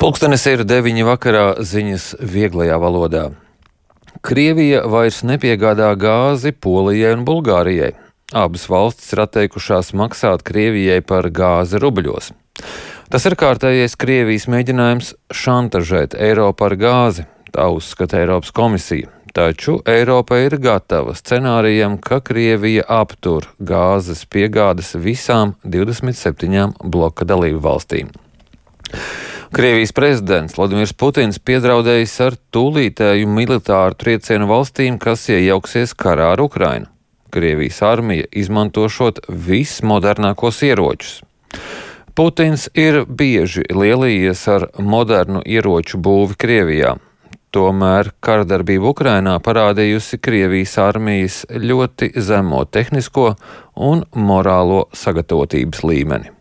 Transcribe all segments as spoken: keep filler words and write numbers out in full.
Pulkstenis ir deviņi vakarā, ziņas vieglajā valodā. Krievija vairs nepiegādā gāzi Polijai un Bulgārijai. Abas valstis ir atteikušās maksāt Krievijai par gāzi rubļos. Tas ir kārtējais Krievijas mēģinājums šantažēt Eiropu ar gāzi, tā uzskata Eiropas komisija. Taču Eiropa ir gatava scenārijam, ka Krievija aptur gāzes piegādes visām divdesmit septiņām bloka dalību valstīm. Krievijas prezidents Vladimirs Putins piedraudējis ar tūlītēju militāru triecienu valstīm, kas iejauksies karā ar Ukrainu. Krievijas armija izmantošot vismodernākos ieročus. Putins ir bieži lielījies ar modernu ieroču būvi Krievijā. Tomēr karadarbība Ukrainā parādījusi Krievijas armijas ļoti zemo tehnisko un morālo sagatavotības līmeni.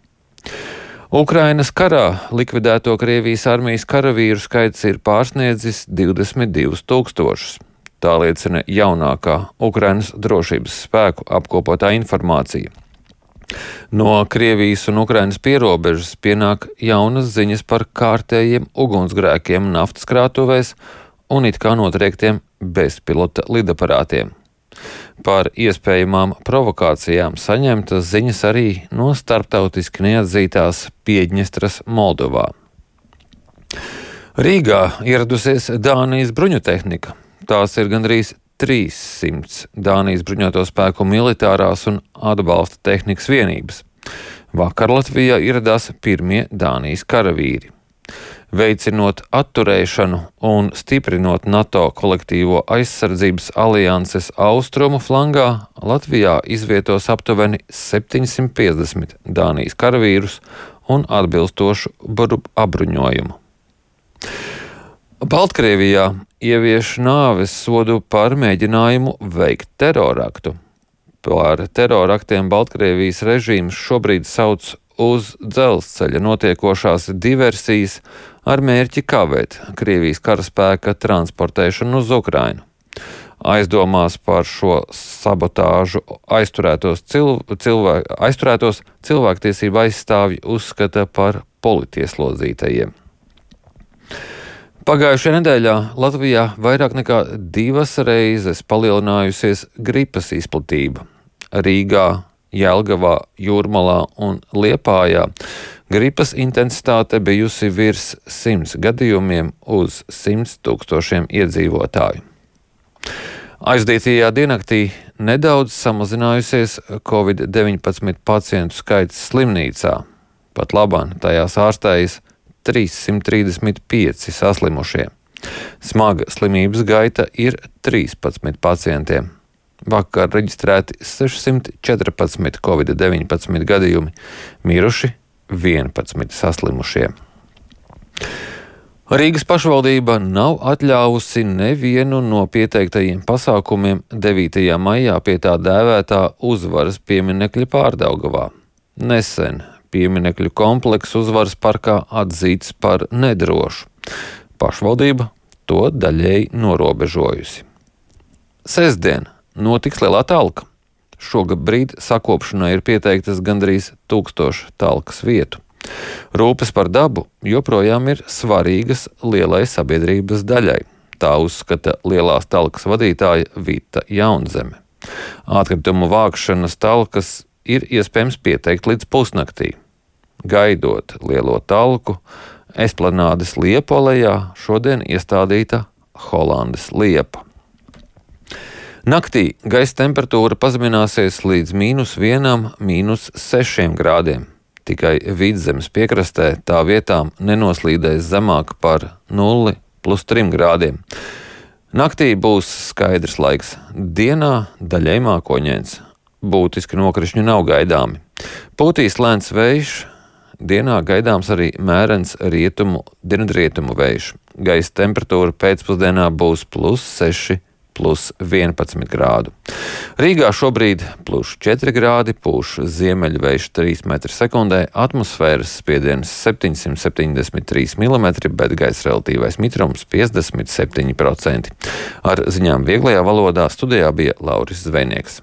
Ukrainas karā likvidēto Krievijas armijas karavīru skaits ir pārsniedzis divdesmit divus tūkstošus. Tā liecina jaunākā Ukrainas drošības spēku apkopotā informācija. No Krievijas un Ukrainas pierobežas pienāk jaunas ziņas par kārtējiem ugunsgrēkiem naftas krātuvēs un it kā notriektiem bezpilota lidaparātiem. Par iespējamām provokācijām saņemtas ziņas arī no starptautiski neatzītās Piedņestras Moldovā. Rīgā ieradusies Dānijas bruņutehnika. Tās ir gandrīz trīssimts Dānijas bruņoto spēku militārās un atbalsta tehnikas vienības. Vakar Latvijā ieradās pirmie Dānijas karavīri. Veicinot atturēšanu un stiprinot NATO kolektīvo aizsardzības alianses austrumu flangā, Latvijā izvietos aptuveni septiņsimt piecdesmit Dānijas karavīrus un atbilstošu apbruņojumu. Baltkrievijā ievieš nāves sodu par mēģinājumu veikt teroraktu. Par teroraktiem Baltkrievijas režīms šobrīd sauc uz dzelzceļa notiekošās diversijas ar mērķi kavēt Krievijas karaspēka transportēšanu uz Ukrainu. Aizdomās par šo sabotāžu aizturētos, cilv cilvēk aizturētos cilvēktiesību aizstāvji uzskata par politieslodzītajiem. Pagājušajā nedēļā Latvijā vairāk nekā divas reizes palielinājusies gripas izplatība. Rīgā, Jelgavā, Jūrmalā un Liepājā gripas intensitāte bijusi virs simts gadījumiem uz simts tūkstošiem iedzīvotāju. Aizdītajā diennaktī nedaudz samazinājusies covid deviņpadsmit pacientu skaits slimnīcā. Pat labāk tajās ārstējas trīssimt trīsdesmit pieci saslimušie. Smaga slimības gaita ir trīspadsmit pacientiem. Vakar reģistrēti sešsimt četrpadsmit covid deviņpadsmit gadījumi, miruši vienpadsmit saslimušie. Rīgas pašvaldība nav atļāvusi nevienu no pieteiktajiem pasākumiem devītajā maijā pie tā dēvētā uzvaras pieminekļa Pārdaugavā. Nesen pieminekļu kompleksu uzvaras parkā atzīts par nedrošu. Pašvaldība to daļēji norobežojusi. Sestdien notiks lielā talka. Šobrīd sakopšanai ir pieteiktas gandrīz tūkstoši talkas vietu. Rūpes par dabu joprojām ir svarīgas lielai sabiedrības daļai. Tā uzskata lielās talkas vadītāja Vita Jaunzeme. Atkritumu vākšanas talkas ir iespējams pieteikt līdz pusnaktī. Gaidot lielo talku, Esplanādes Liepolejā šodien iestādīta Holandes liepa. Naktī gaisa temperatūra pazemināsies līdz mīnus vienam, mīnus sešiem grādiem. Tikai Vidzemes piekrastē tā vietām nenoslīdēs zemāk par nulli plus trim grādiem. Naktī būs skaidrs laiks, dienā daļai mākoņains. Būtiski nokrišņi nav gaidāmi. Pūtīs lēns vējš, dienā gaidāms arī mērens rietumu, dienvidrietumu vējš. Gaisa temperatūra pēcpusdienā būs plus seši, plus vienpadsmit grādu. Rīgā šobrīd plus četri grādi, pūš ziemeļvējš trīs metri sekundē, atmosfēras spiediens septiņsimt septiņdesmit trīs milimetri, bet gaisa relatīvais mitrums piecdesmit septiņi procenti. Ar ziņām vieglajā valodā studijā bija Lauris Zvejnieks.